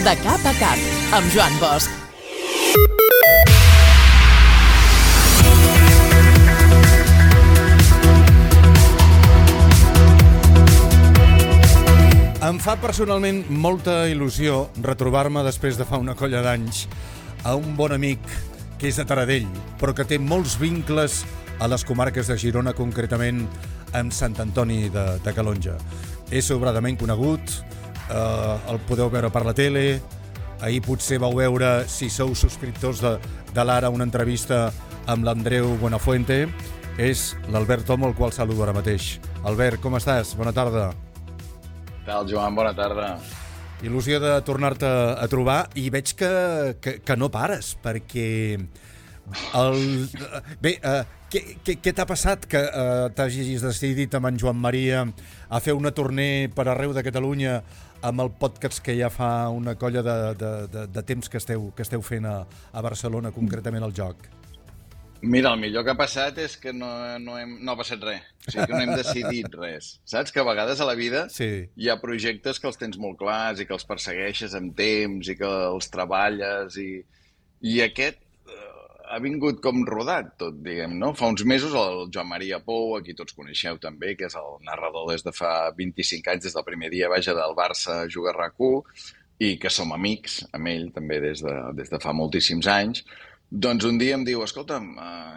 De cap a cap, amb Joan Bosch. Em fa personalment molta il·lusió retrobar-me després de fa una colla d'anys a un bon amic que és de Taradell, però que té molts vincles a les comarques de Girona, concretament amb Sant Antoni de Calonge. És sobradament conegut, el podeu veure per la tele, ahir potser vau veure, si sou subscriptors de l'Ara, una entrevista amb l'Andreu Buenafuente. És l'Albert Tom, el qual saludo ara mateix. Albert, com estàs? Bona tarda. Què tal, Joan? Bona tarda. Il·lusió de tornar-te a trobar i veig que no pares, perquè... Bé, què t'ha passat que t'hagis decidit amb en Joan Maria a fer una tournée per arreu de Catalunya amb el podcast que ja fa una colla de temps que esteu fent a Barcelona, concretament al Joc? Mira, el millor que ha passat és que no ha passat res. O sigui, que no hem decidit res. Saps que a vegades a la vida hi ha projectes que els tens molt clars i que els persegueixes amb temps i que els treballes i aquest ha vingut com rodat tot, diguem, no? Fa uns mesos el Joan Maria Pou, a qui tots coneixeu també, que és el narrador des de fa 25 anys, des del primer dia, vaja, del Barça juga a RAC1, i que som amics amb ell també des de fa moltíssims anys. Doncs un dia em diu, escolta'm,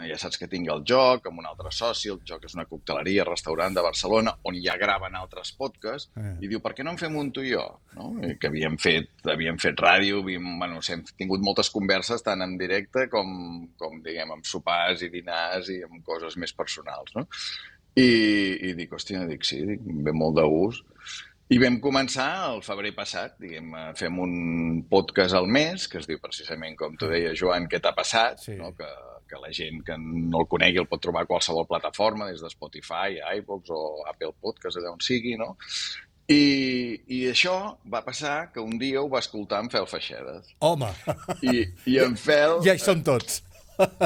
ja saps que tinc el Joc amb un altre soci, el Joc és una cocteleria, restaurant de Barcelona, on ja graven altres podcasts, i diu, per què no en fem un tu i jo? No? I que havíem fet ràdio, hem tingut moltes converses tant en directe com diguem, amb sopars i dinars i amb coses més personals, no? I dic, hòstia, sí, ve molt de gust. I vam començar el febrer passat, diguem, fem un podcast al mes, que es diu precisament, com tu deies, Joan, què t'ha passat? Sí. No? Que la gent que no el conegui el pot trobar a qualsevol plataforma, des de Spotify, iVoox o Apple Podcast, allà on sigui, no? I això va passar que un dia ho va escoltar en Fel Feixedes. Home! I en Fel... Ja hi som tots.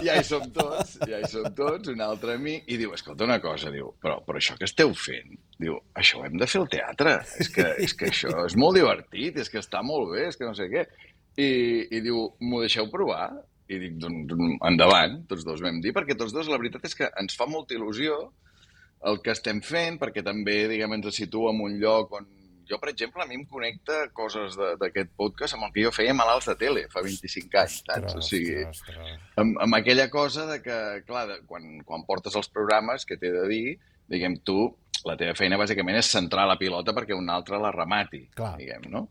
Ja hi som tots, un altre amic, i diu, escolta una cosa, diu, però això que esteu fent, diu, això ho hem de fer al teatre, és que això és molt divertit, és que està molt bé, és que no sé què, i diu, m'ho deixeu provar? I dic, doncs endavant, tots dos vam dir, perquè tots dos la veritat és que ens fa molta il·lusió el que estem fent, perquè també, diguem, ens situa en un lloc on jo, per exemple, a mi em connecta coses d'aquest podcast amb el que jo feia malalts de tele fa 25 anys, saps? O sigui, amb aquella cosa de que, clar, quan portes els programes, que t'he de dir, diguem, tu, la teva feina bàsicament és centrar la pilota perquè un altre la remati, diguem, no?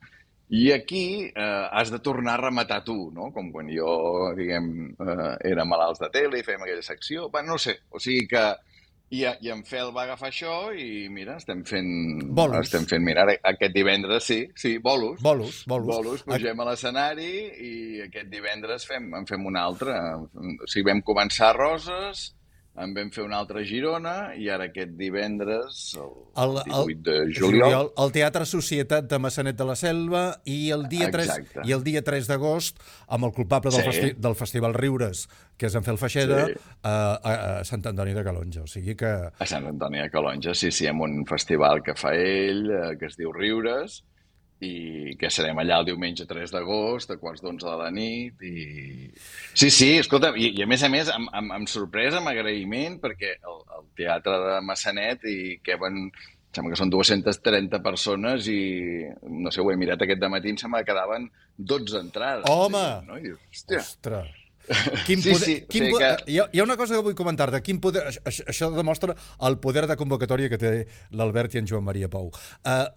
I aquí has de tornar a rematar tu, no? Com quan jo, diguem, era malalts de tele i fèiem aquella secció. Bé, no sé, o sigui que... I en Fel va agafar això i, mira, estem fent, mira, aquest divendres, bolos. Bolos, pugem a l'escenari i aquest divendres en fem un altre. O sigui, vam començar a Roses, en vam fer una altra a Girona i ara aquest divendres, el 18 de juliol, al Teatre Societat de Maçanet de la Selva i el dia 3 d'agost amb el culpable del Festival Riures, que és en Fel Feixeda, a Sant Antoni de Calonge. O sigui que... A Sant Antoni de Calonge, sí, amb un festival que fa ell, que es diu Riures, i que serem allà el diumenge 3 d'agost, a 11:15 de la nit, i... Sí, escolta, i a més, amb sorpresa, amb agraïment, perquè el Teatre de Maçanet, i que sembla que són 230 persones, i no sé, ho he mirat aquest dematí, em sembla que quedaven 12 entrades. Home! No? I dius, hòstia... Ostres! Hi ha una cosa que vull comentar-te. Això demostra el poder de convocatòria que té l'Albert i en Joan Maria Pou.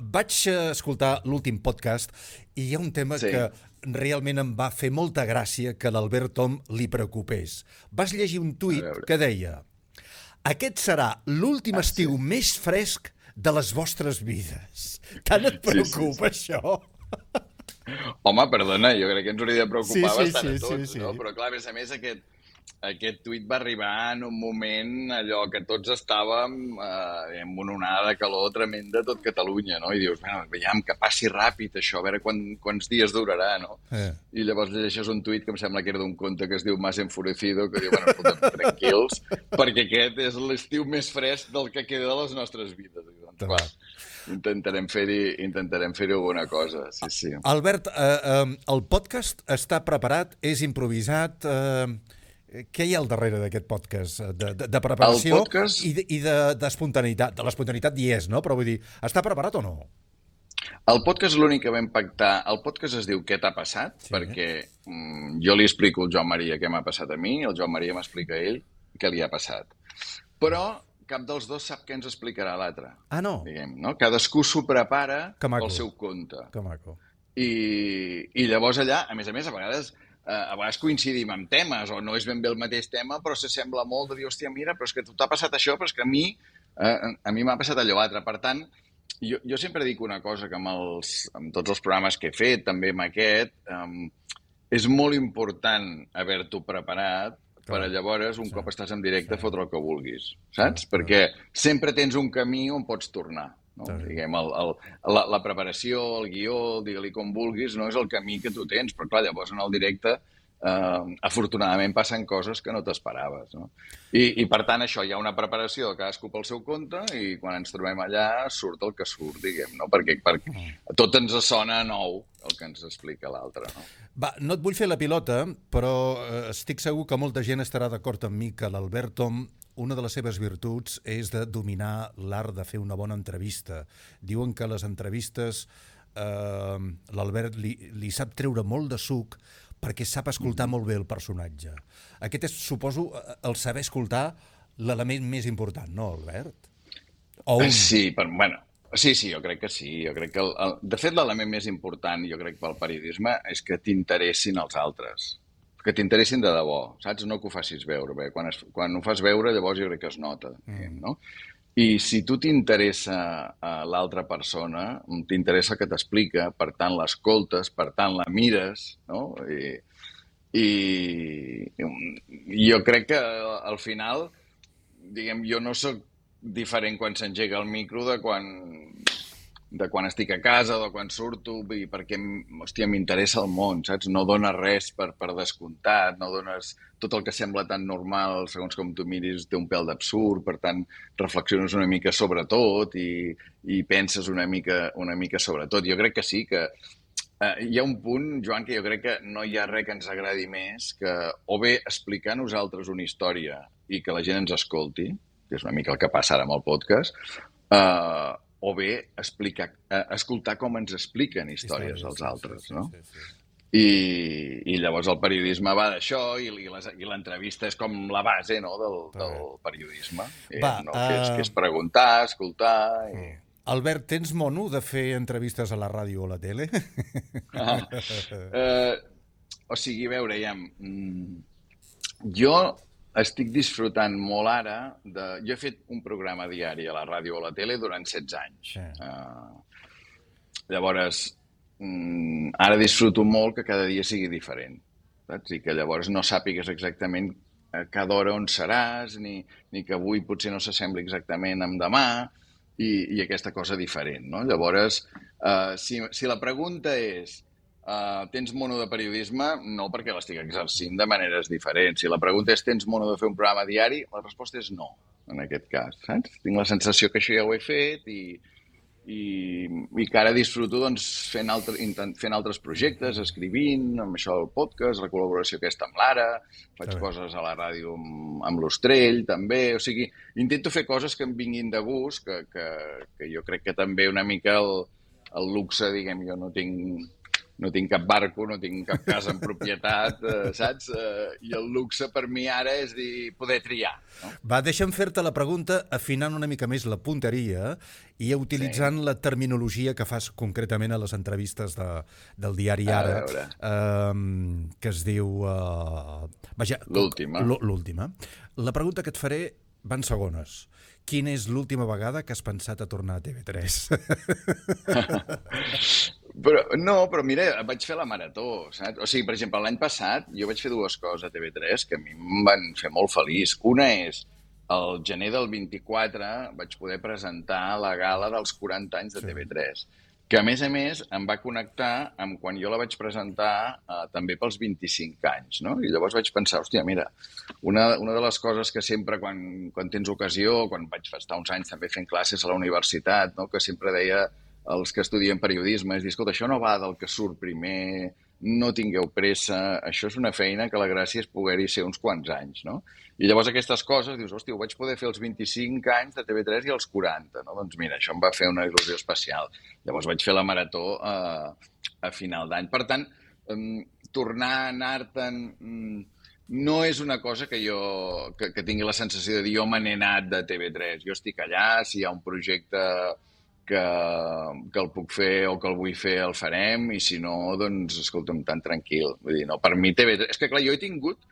Vaig escoltar l'últim podcast i hi ha un tema que realment em va fer molta gràcia que l'Albert Tom li preocupés. Vas llegir un tuit que deia: aquest serà l'últim estiu més fresc de les vostres vides. Tant et preocupa això? Home, perdona, jo crec que ens hauria de preocupar bastant a tots, no? Però clar, a més, aquest tuit va arribar en un moment allò que tots estàvem en una onada de calor tremenda a tot Catalunya, no? I dius, bueno, veiem que passi ràpid això, a veure quants dies durarà, no? I llavors llegeixes un tuit que em sembla que era d'un conte que es diu Más enfurecido, que diu, bueno, escolta, tranquils, perquè aquest és l'estiu més fresc del que queda de les nostres vides. I doncs, clar, intentarem fer-hi alguna cosa, sí. Albert, el podcast està preparat, és improvisat... Què hi ha al darrere d'aquest podcast? De preparació i d'espontaneïtat. De l'espontaneïtat hi és, no? Però vull dir, està preparat o no? El podcast és l'únic que vam pactar. El podcast es diu Què t'ha passat? Sí. Perquè jo li explico al Joan Maria què m'ha passat a mi, el Joan Maria m'explica a ell què li ha passat. Però cap dels dos sap què ens explicarà l'altre. Ah, no? Diguem, no? Cadascú s'ho prepara pel seu compte. Que maco. I llavors allà, a més, a vegades coincidim amb temes, o no és ben bé el mateix tema, però s'assembla molt de dir, hòstia, mira, però és que t'ha passat això, però és que a mi m'ha passat allò altre. Per tant, jo sempre dic una cosa, que amb tots els programes que he fet, també amb aquest, és molt important haver-t'ho preparat per llavors, un cop estàs en directe, fotre el que vulguis, saps? Perquè sempre tens un camí on pots tornar. No? Diguem, la preparació, el guió, digue-li com vulguis, no és el camí que tu tens, però clar, llavors en el directe afortunadament passen coses que no t'esperaves, no? I per tant això, hi ha una preparació de cadascú pel seu compte i quan ens trobem allà surt el que surt, diguem, no? Perquè tot ens sona nou el que ens explica l'altre, no? Va, no et vull fer la pilota, però estic segur que molta gent estarà d'acord amb mi que l'Albert Tom, una de les seves virtuts és de dominar l'art de fer una bona entrevista. Diuen que les entrevistes l'Albert li sap treure molt de suc perquè sap escoltar molt bé el personatge. Aquest és, suposo, el saber escoltar l'element més important, no, Albert? Sí, jo crec que sí. Jo crec que de fet, l'element més important, jo crec, pel periodisme és que t'interessin els altres. Que t'interessin de debò, saps? No que ho facis veure. Bé, quan ho fas veure, llavors jo crec que es nota, no? I si tu t'interessa l'altra persona, t'interessa el que t'explica, per tant l'escoltes, per tant la mires, no? I jo crec que al final, diguem, jo no sóc diferent quan s'engega el micro de quan estic a casa, de quan surto, perquè, hòstia, m'interessa el món, saps? No dones res per descomptat, no dones tot el que sembla tan normal, segons com tu miris, té un pèl d'absurd, per tant, reflexiones una mica sobre tot i penses una mica sobre tot. Jo crec que sí, que hi ha un punt, Joan, que jo crec que no hi ha res que ens agradi més que o bé explicar nosaltres una història i que la gent ens escolti, que és una mica el que passa ara amb el podcast, o bé escoltar com ens expliquen històries els altres, no? I llavors el periodisme va d'això i l'entrevista és com la base, no, del periodisme, que és preguntar, escoltar... Albert, tens mono de fer entrevistes a la ràdio o a la tele? O sigui, a veure, jo estic disfrutant molt ara Jo he fet un programa diari a la ràdio o a la tele durant 16 anys. Llavors, ara disfruto molt que cada dia sigui diferent, saps? I que llavors no sàpigues exactament a cada hora on seràs, ni que avui potser no s'assembli exactament amb demà, i aquesta cosa diferent, no? Llavors, si la pregunta és tens mono de periodisme, no, perquè l'estic exercint de maneres diferents. Si la pregunta és tens mono de fer un programa diari, la resposta és no, en aquest cas, saps? Tinc la sensació que això ja ho he fet i que ara disfruto fent altres projectes, escrivint, amb això del podcast, la col·laboració aquesta amb l'Ara, faig coses a la ràdio amb l'Ostrell, també. O sigui, intento fer coses que em vinguin de gust, que jo crec que també una mica el luxe, diguem, jo no tinc cap barco, no tinc cap casa en propietat, saps? I el luxe per mi ara és poder triar. No? Va, deixa'm fer-te la pregunta afinant una mica més la punteria i utilitzant la terminologia que fas concretament a les entrevistes del diari Ara, que es diu... L'última. L'última. La pregunta que et faré va en segones. Quina és l'última vegada que has pensat a tornar a TV3? Però mira, vaig fer la marató, saps? O sigui, per exemple, l'any passat jo vaig fer dues coses a TV3 que a mi em van fer molt feliç. Una és, al gener del 24 vaig poder presentar la gala dels 40 anys de TV3, que a més em va connectar amb quan jo la vaig presentar també pels 25 anys, no? I llavors vaig pensar, hòstia, mira, una de les coses que sempre quan tens ocasió, quan vaig estar uns anys també fent classes a la universitat, no? Que sempre deia els que estudien periodisme, és dir, escolta, això no va del que surt primer, no tingueu pressa, això és una feina que la gràcia és poder-hi ser uns quants anys, no? I llavors aquestes coses, dius, hòstia, ho vaig poder fer als 25 anys de TV3 i als 40, no? Doncs mira, això em va fer una il·lusió especial. Llavors vaig fer la marató a final d'any. Per tant, tornar a anar-te'n no és una cosa que tingui la sensació de dir jo me n'he anat de TV3. Jo estic allà, si hi ha un projecte que el puc fer o que el vull fer, el farem, i si no, doncs, escolta'm, tan tranquil. Vull dir, no, per mi TV3... És que, clar, jo he tingut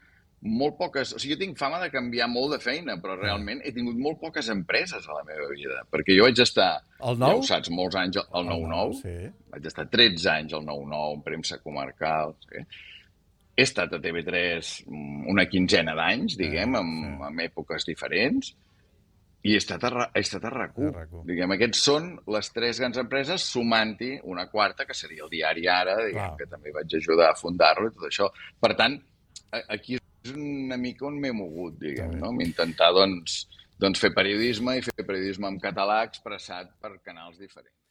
molt poques... O sigui, jo tinc fama de canviar molt de feina, però realment he tingut molt poques empreses a la meva vida, perquè jo vaig estar, ja ho saps, molts anys al 9-9, sí. Vaig estar 13 anys al 9-9, en premsa comarcal, sí. He estat a TV3 una quinzena d'anys, diguem, en èpoques diferents, i he estat a RAC1. Diguem, aquests són les 3 grans empreses, sumant-hi una quarta, que seria el diari Ara, diguem, que també vaig ajudar a fundar-lo i tot això. Per tant, aquí és una mica on m'he mogut, diguem, no? Intentar, doncs, fer periodisme i fer periodisme en català expressat per canals diferents.